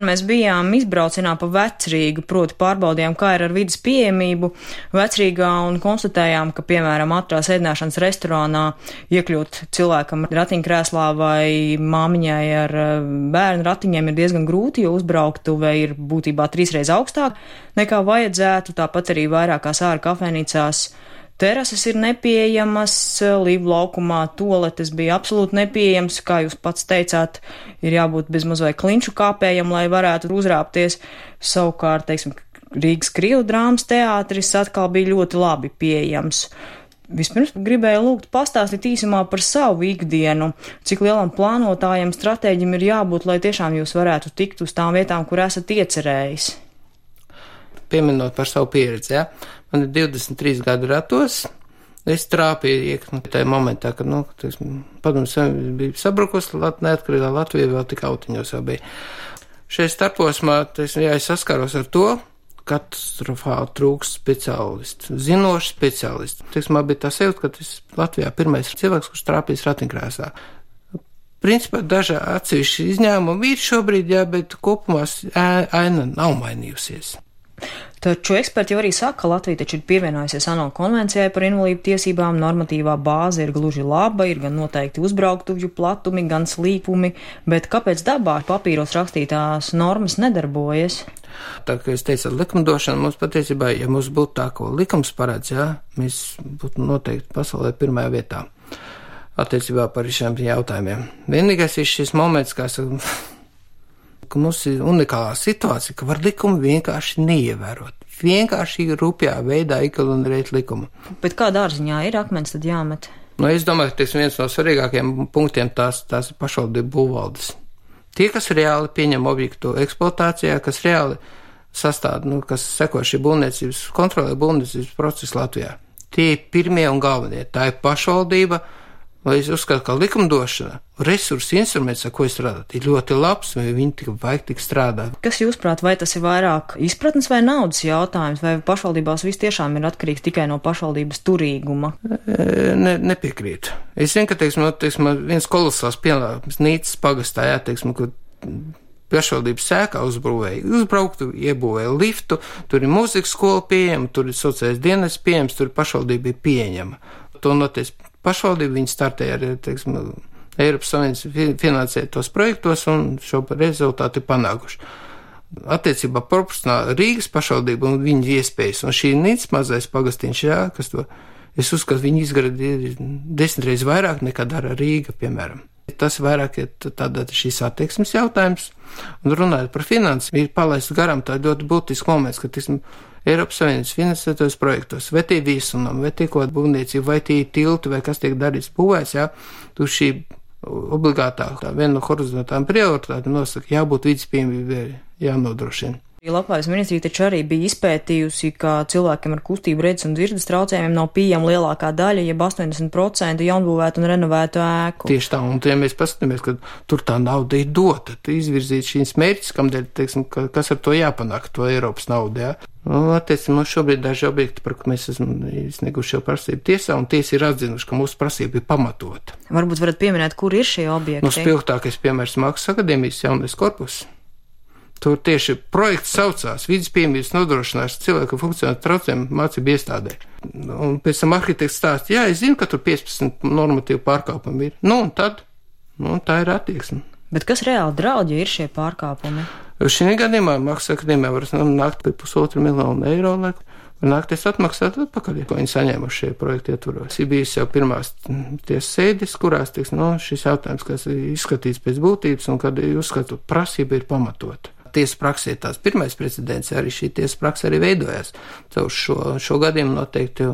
Mēs bijām izbraucienā pa Vecrīgu, proti pārbaudījām, kā ir ar vidas pieejamību Vecrīgā un konstatējām, ka, piemēram, ātrās ēdināšanas restorānā iekļūt cilvēkam ratiņkrēslā vai māmiņai ar bērnu ratiņiem ir diezgan grūti, jo uzbrauktuve ir būtībā 3 reizes augstāk nekā vajadzētu, tāpat arī vairākās ārā kafejnīcās. Terases ir nepieejamas, Līvu laukumā toaletes bija absolūti nepieejams, kā jūs pats teicāt, ir jābūt bezmaz vai klinšu kāpējam, lai varētu uzrāpties. Savukārt, teiksim, Rīgas Krievu drāmas teātris atkal bija ļoti labi pieejams. Vispirms gribēju lūgt pastāstīt īsumā par savu ikdienu, cik lielam plānotājam, stratēģim ir jābūt, lai tiešām jūs varētu tikt uz tām vietām, kur esat iecerējis. Pieminot par savu pieredzi, ja? Man ir 23 gadu ratos, es trāpīju iekšā tajā momentā, kad, padomju Savienība bija sabrukusi, neatkarīgā Latvija vēl tik autiņos jau bija. Šeit starposmā, es saskaros ar to, katastrofāli trūkst speciālistu, zinošu speciālistu. Man bija tā sajūta, ka tas Latvijā pirmais cilvēks, kurš trāpījis ratiņkrēslā. Principā daži atsevišķi izņēmumi ir šobrīd, jā, bet kopumā aina nav mainījusies. Taču eksperti jau arī saka, ka Latvija taču ir pievienojusies ANO konvencijai par invalīdu tiesībām, normatīvā bāze ir gluži laba, ir gan noteikti uzbrauktuvju platumi, gan slīpumi, bet kāpēc dabā papīros rakstītās normas nedarbojas? Tā kā es teicu, likumdošana mums patiesībā, ja mums būtu tā, ko likums paredz, jā, mēs būtu noteikti pasaulē pirmajā vietā attiecībā par šiem jautājumiem. Vienīgais ir šis moments, kā saka, ka mums ir unikālā situācija, ka var likumu vienkārši neievērot. Vienkārši rupjā veidā ignorēt likumu. Bet kā dārziņā ir akmens tad jāmet? Es domāju, ka viens no svarīgākajiem punktiem tās ir pašvaldību būvvaldes. Tie, kas reāli pieņem objektu eksploatācijā, kas reāli sastāv, kas seko šī būvniecības, kontrolē būvniecības procesu Latvijā. Tie ir pirmie un galvenie. Tā ir pašvaldība. Vai es uzskatu, ka likumdošana, resursu instruments, ar ko es strādāju, ir ļoti labs, vai viņi vajag tik strādāt. Kas jūsprāt, vai tas ir vairāk izpratnes vai naudas jautājums, vai pašvaldībās viss tiešām ir atkarīgs tikai no pašvaldības turīguma? Nepiekrītu. Es zinu, ka, viens kolosāls pienākums Nīcas pagastā, kur pašvaldības sēkā uzbrauktu, iebūvēja liftu, tur ir mūzikas skola pieejama, tur ir sociālais dienas pieejams, tur pašvaldība ir pieņema. To noties pašvaldība, viņi startēja ar, Eiropas Savienības finansētos projektos un šo rezultātu ir panākuši. Attiecībā proporcionāli Rīgas pašvaldība un viņas iespējas, un šī Nīcas mazais pagastiņš, jā, kas to, es uzskatu, viņi izgaradi 10 reizes vairāk nekā dara Rīga, piemēram. Tas vairāk ir tāda šīs attieksmes jautājums, un runājot par finanses, ir palaists garām tā ļoti būtisks moments, ka, Eiropas Savienības finansētos projektos, vai tie viesunam, vai tie kaut būvniecība, vai tie tilti, vai kas tiek darīts būvēs, jā, tur šī obligātā, viena no horizontālām prioritātēm nosaka, jābūt vidas pieejamībai, jānodrošina. Labklājības ministrija taču arī bija izpētījusi, ka cilvēkiem ar kustību redzes un dzirdes traucējumiem nav pieejama lielākā daļa, jeb 80% jaunbūvētu un renovētu ēku. Tieši tā, un ja mēs paskatāmies, ka tur tā nauda ir dota, izvirzīt šīs mērķis, kamdēļ, kas ar to jāpanāk, to Eiropas naudu, jā. Attiecībā mums šobrīd daži objekti, par ko mēs esam izsnieguši jau prasību tiesā, un tiesa ir atzinuši, ka mūsu prasība ir pamatota. Varbūt varat pieminēt, kur ir šie objekti? Spilgtākais piemērs Mākslas akadēmijas jaunais korpus. Tur tieši projekts saucās vidas pieejamības nodrošināšanas cilvēku funkcionālu traucējumu mācību iestādē. Un pēc tam arhitekts stāsta, jā, es zinu, ka tur 15 normatīvu pārkāpumi ir. Un tad, tā ir attieksme. Bet kas reāli draud, ja ir šie pārkāpumi? Šī gadījumā Mākslas akadēmijā var nākt pie 1,5 miljonu eiro, lai var nākties atmaksāt atpakaļ, ko viņi saņēmuši šie projekti ietvaros. Ir bijis jau pirmās tiesas sēdes, kurās, šis jautājums, kas ir izskatīts pēc būtības un kad uzskatu prasība ir pamatota. Tiesa praksē tās pirmais precedents, arī šī tiesa praksa arī veidojās caur šo gadījumu noteikti,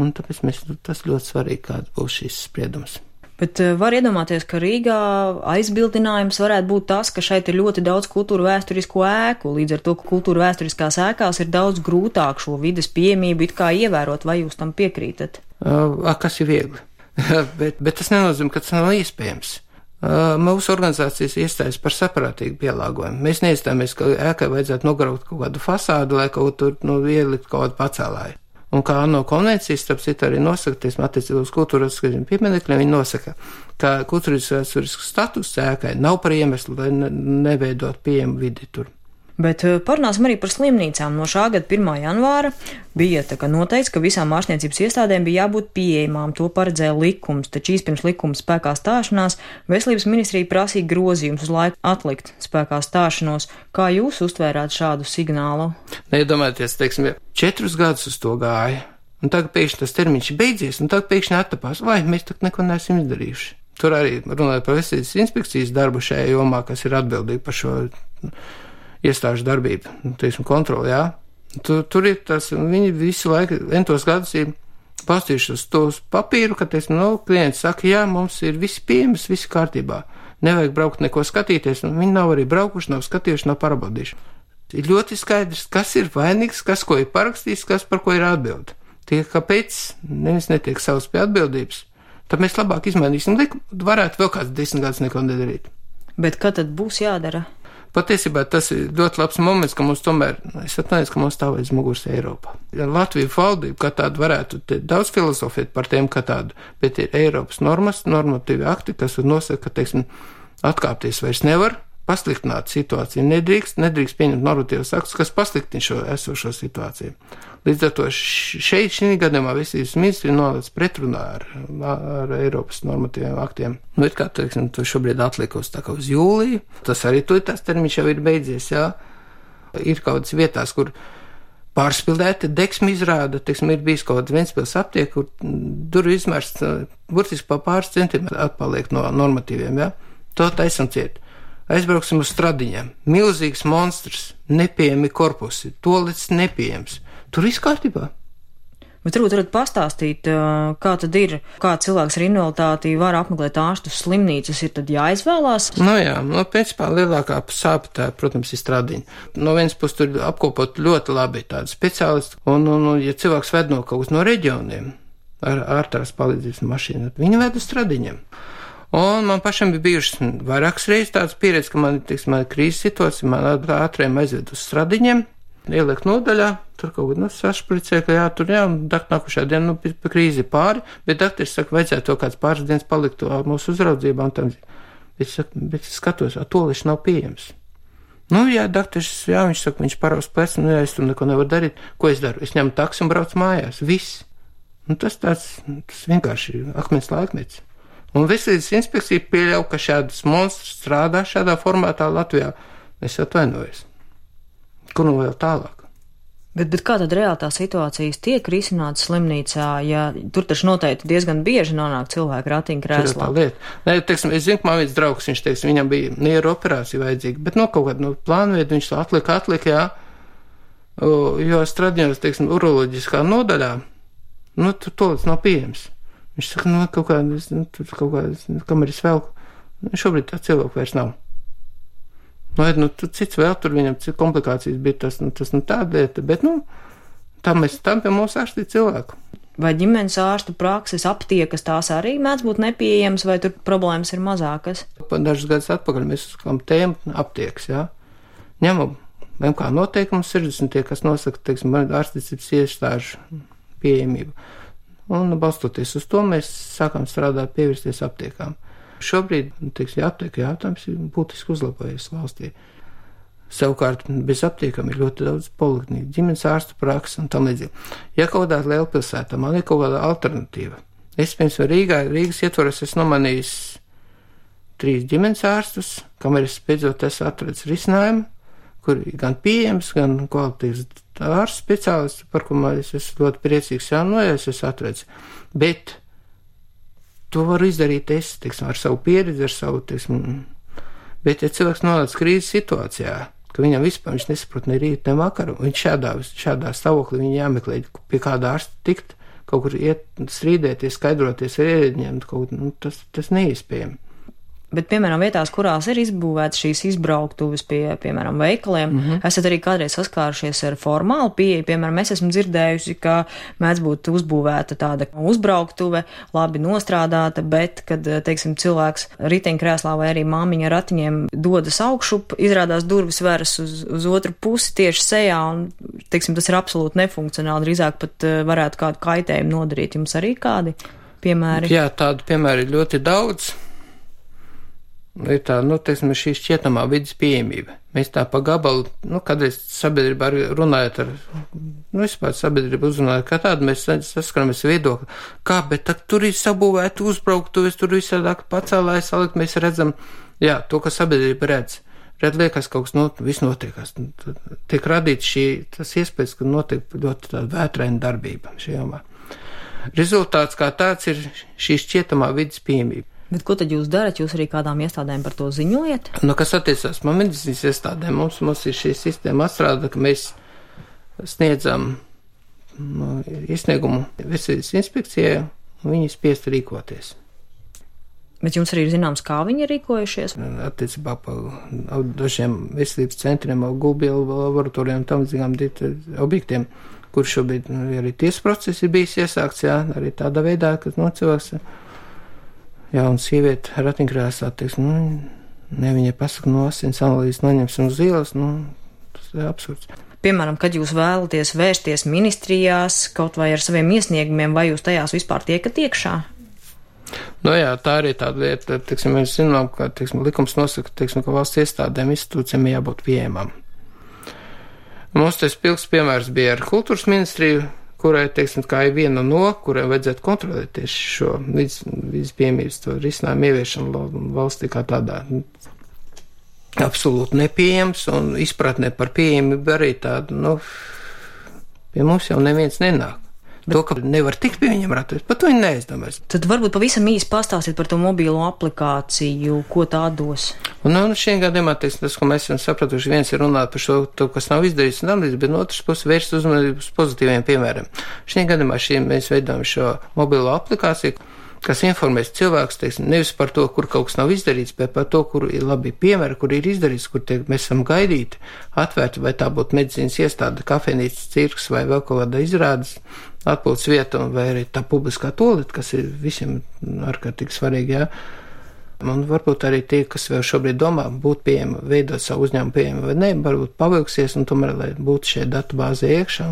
un tāpēc tas ļoti svarīgi, kāds būs šis spriedums. Bet var iedomāties, ka Rīgā aizbildinājums varētu būt tas, ka šeit ir ļoti daudz kultūra vēsturisko ēku, līdz ar to, ka kultūra vēsturiskās ēkās ir daudz grūtāk šo vides pieejamību it kā ievērot, vai jūs tam piekrītat? Kas ir viegli, bet tas nenozīmē, ka tas nav iespējams. Mūsu organizācijas iestājas par saprātīgu pielāgojumu. Mēs neiestājamies, ka ēkai vajadzētu nograut kaut kādu fasādu, lai kaut tur ielikt kaut kādu pacēlāju. Un kā ANO konvencijas, starp citu, arī nosaka, teiksim, attiecībā uz kultūras pieminekļiem, viņi nosaka, ka kultūras vēsturisks status ēkai nav par iemeslu, lai neveidot pieejamu vidi tur. Bet parunāsim arī par slimnīcām. No šā gada 1. janvāra bija noteikts, ka visām ārstniecības iestādēm bija jābūt pieejamām. To paredzēja likums, taču pirms likuma spēkā stāšanās Veselības ministrija prasīja grozījumus uz laiku atlikt spēkā stāšanos. Kā jūs uztvērāt šādu signālu? Neiedomājieties, teiksim, 4 gadus uz to gāja, un tagad pēkšņi tas termiņš ir beidzies, un tagad pēkšņi attapās, vai mēs tak neko neesam izdarījuši. Tur arī runāja par veselības inspekcijas darbu šajā jomā, kas ir atbildīgi par šo iestāžu darbību, teiksim, kontroli, jā. Tur ir tas, viņi visu laiku, entos gadus ir pastījuši uz tos papīru, ka, teiksim, klients saka, jā, mums ir visi pieejams, visi kārtībā. Nevajag braukt neko skatīties, un viņi nav arī braukuši, nav skatījuši, nav parabaudījuši. Ir ļoti skaidrs, kas ir vainīgs, kas ko ir parakstījis, kas par ko ir atbild. Tie, kāpēc neviens netiek savs pie atbildības, tad mēs labāk izmainīsim likumu, varētu vēl kāds 10 gadus neko nedarīt. Bet kad tad būs jādara? Patiesībā tas ir ļoti labs moments, ka mums tomēr, es atnāju, ka mums stāv aiz muguras Eiropā. Latvija valdība, kā tāda varētu daudz filozofēt par tiem, kā tādu, bet ir Eiropas normas, normatīvi akti, kas nosaka, ka, teiksim, atkāpties vairs nevar, pasliktināt situāciju nedrīkst pieņemt normatīvas aktus, kas pasliktina šo esošo situāciju. Līdz ar to šī gadījumā Veselības ministrija nonāca pretrunā ar Eiropas normatīviem aktiem. Ir kā, teiksim, to šobrīd atlikusi tā kā uz jūliju. Tas arī tas termiņš jau ir beidzies, jā. Ir kaut kādas vietās, kur pārspildēta deksmi izrāda, teiksim, ir bijis kaut kāds Ventspils aptiek, kur durvju izmērs burtiski pa pāris centimetri atpaliek no normatīviem, jā. To taisam ciet. Aizbrauksim uz Stradiņiem. Milzīgs monstrs, nepieejami korpusi, tolets nepieejams. Tur viss kārtībā. Bet varbūt varat pastāstīt, kā tad ir, kā cilvēks ar invaliditāti var apmeklēt ārstus slimnīcas, ir tad jāizvēlās? Jā, principā lielākā sāpe tā, protams, ir Stradiņa. No vienas puses tur apkopot ļoti labi tādi speciālisti, un ja cilvēks ved no kaut no reģioniem ar ārtās palīdzības mašīnu, viņi ved uz Stradiņiem. Un man pašam bija bijušas vairākas reizes tāds pieredze, ka man ir krīzes situācija, man ātriem aizved uz Stradiņiem, ieliek nodaļā, tur kaut ko sašpricē, ka tur nākušā diena, pa krīzi pāri, bet dakteris saka, vajadzētu to kāds pāris dienas palikt mūsu uzraudzībā, un tam, bet skatos, toliši nav pieejams. Dakteris, viņš saka, viņš paraus plecu, es tur neko nevaru darīt, ko es daru? Es ņemu taksi un braucu mājās, viss. Tas vienkārši akmens laikmets. Un Veselības inspekcija pieļauj, ka šādas monstrs strādā šādā formātā Latvijā. Es atvainojos. Kur vēl tālāk? Bet kā tad reāli tā situācijas tiek risināta slimnīcā, ja tur taču noteikti diezgan bieži nonāk cilvēki ratiņkrēslā? Tā lieta. Nē, teiksim, es zinu, ka man viens draugs, viņš, teiksim, viņam bija nieru operācija vajadzīga, bet kaut kādu plānveidu viņš atlika, jā, jo Stradiņos, teiksim, uroloģiskā nodaļā, tur tolets nav pieejams. Viņš saka, kaut kādas, kamēr es velku, šobrīd tā cilvēku vairs nav. Tur cits vēl, tur viņam komplikācijas bija, tas tāda lieta, bet, tam pie mums ārstīt cilvēku. Vai ģimenes ārstu prakses aptiekas tās arī mēdz būt nepieejams, vai tur problēmas ir mazākas? Dažus gadus atpakaļ mēs uzklām tēmu aptiekas, jā. Ņemam kā noteikumus 60, kas nosaka, teiksim, ārstniecības iestāžu pieejamību. Un balstoties uz to, mēs sākām strādāt, pievērsties aptiekām. Šobrīd, teiksim, aptieku jautājums ir būtiski uzlabojies valstī. Savukārt, bez aptiekām ir ļoti daudz polikliniku, ģimenes ārstu prakses un tam līdzīgi. Ja kaut kādā lielpilsētā man ir kaut kāda alternatīva, es, piemēram, Rīgas ietvaros esmu nomanījis 3 ģimenes ārstus, kamēr es beidzot esmu atradis risinājumu, kur ir gan pieejams, gan kvalitīvs ārsts speciālists, par ko es esmu ļoti priecīgs, es esmu atradis. Bet to varu izdarīt es, teiksim, ar savu pieredzi, ar savu, teiksim, bet ja cilvēks nonāc krīzes situācijā, ka viņam vispār viņš nesaprot ne rīt, ne vakaru, viņš šādā stāvoklī viņa jāmeklē, pie kāda ārsta tikt, kaut kur iet strīdēties, skaidroties ar ierēdņiem, tas neiespējami. Bet, piemēram, vietās, kurās ir izbūvētas šīs izbrauktuves pie, piemēram, veikaliem, esat arī kādreiz saskārušies ar formālu pieeju. Piemēram, es esmu dzirdējusi, ka mēdz būt uzbūvēta tāda uzbrauktuve, labi nostrādāta, bet, kad, teiksim, cilvēks riteņkrēslā vai arī māmiņa ar ratiņiem dodas augšup, izrādās durvis veras uz otru pusi tieši sejā, un teiksim, tas ir absolūti nefunkcionāli, drīzāk pat varētu kādu kaitējumu nodarīt. Jums arī kādi piemēri? Jā, tādu piemēri ir ļoti daudz. Ir tā, teiksim, šī šķietamā vidas pieejamība. Mēs tā pa gabalu, kādreiz sabiedrībā runājot ar, vispār sabiedrību uzrunājot kā tādu, mēs saskaramies viedokli, bet tur ir sabūvēti uzbrauktuves, tur visādāk pacēlājas salikt, mēs redzam, jā, to, ka sabiedrība redz. Liekas, kaut kas viss notiekās. Tiek radīts tas iespējas, ka notiek ļoti tāda vētraina darbība šajā jomā. Rezultāts kā tāds ir šī šķietamā vidas pieejamība. Bet ko tad jūs darat? Jūs arī kādām iestādēm par to ziņojat? Kas attiecās man medicīnas iestādēm, mums ir šī sistēma atstrāda, ka mēs sniedzam iesniegumu veselības inspekcijai, un viņi spiest rīkoties. Bet jums arī ir zināms, kā viņi ir rīkojušies? Attiecībā par dažiem veselības centriem, gulbielu laboratorijām, tam zinām objektiem, kur šobrīd arī tiesas process ir bijis iesākts, jā, arī tādā veidā, ka cilvēks. Jā, un sieviete ratiņkrēslā, viņai pasaka, asins analīzes noņemsim uz ielas, tas ir absurds. Piemēram, kad jūs vēlaties vērsties ministrijās kaut vai ar saviem iesniegumiem, vai jūs tajās vispār tiekat iekšā? Jā, tā arī tāda lieta, mēs zinām, ka, likums nosaka, ka valsts iestādēm institūcijām jābūt pieejamām. Mums tas pilks piemērs bija ar kultūras ministriju, kurai, kā ir viena kurai vajadzētu kontrolēt tieši šo vidas pieejamības to risinājumu ieviešanu valstī kā tādā absolūti nepieejams, un izpratnē par pieejamību arī tādu, pie mums jau neviens nenāk. To, ka nevar tikt pie viņiem ratoties, pat to viņi neaizdomās. Tad varbūt pavisam īsi pastāstīt par to mobīlo aplikāciju, ko tā dos. Šiem gadījumā, tas, ko mēs esam sapratuši, viens ir runāt par šo, kas nav izdarīts un analīzes, bet no otras puses vērst uzmanību uz pozitīviem piemēriem. Šiem gadījumā mēs veidojam šo mobīlo aplikāciju, kas informēs cilvēkus, nevis par to, kur kaut kas nav izdarīts, bet par to, kur ir labi piemēri, kur ir izdarīts, kur mēs esam gaidīti, atvērti, vai tā būtu medicīnas iestāde, kafejnīca, cirks vai vēl kaut kāda izrādes atpūtas vieta, vai arī tā publiskā tolete, kas ir visiem ārkārtīgi svarīgi, jā. Un varbūt arī tie, kas vēl šobrīd domā, būt pieejami, veidot savu uzņēmumu pieejami vai ne, varbūt pavilksies, un tomēr, lai būtu šie datubāzē iekšā,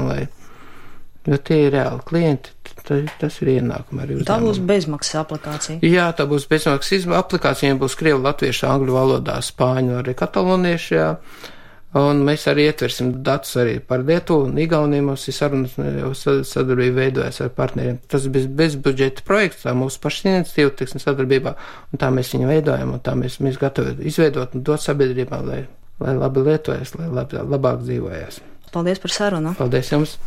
jo tie ir reāli klienti, tas ir ienākumi arī uzņēmumi. Tā būs bezmaksas aplikācija? Jā, tā būs bezmaksas aplikācija, būs krievu, latviešu, angļu valodā, spāņu, arī kataloniešu, jā. Un mēs arī ietversim datus arī par Lietuvu un Igauniju. Mums ir sarunas, sadarbība veidojas ar partneriem. Tas bija bezbudžeta projekts, tā mūsu paša iniciatīva, sadarbībā, un tā mēs viņu veidojam, un tā mēs gatavi izveidot un dot sabiedrībā, lai labi lietojas, lai labāk dzīvojas. Paldies par sarunu. Paldies jums.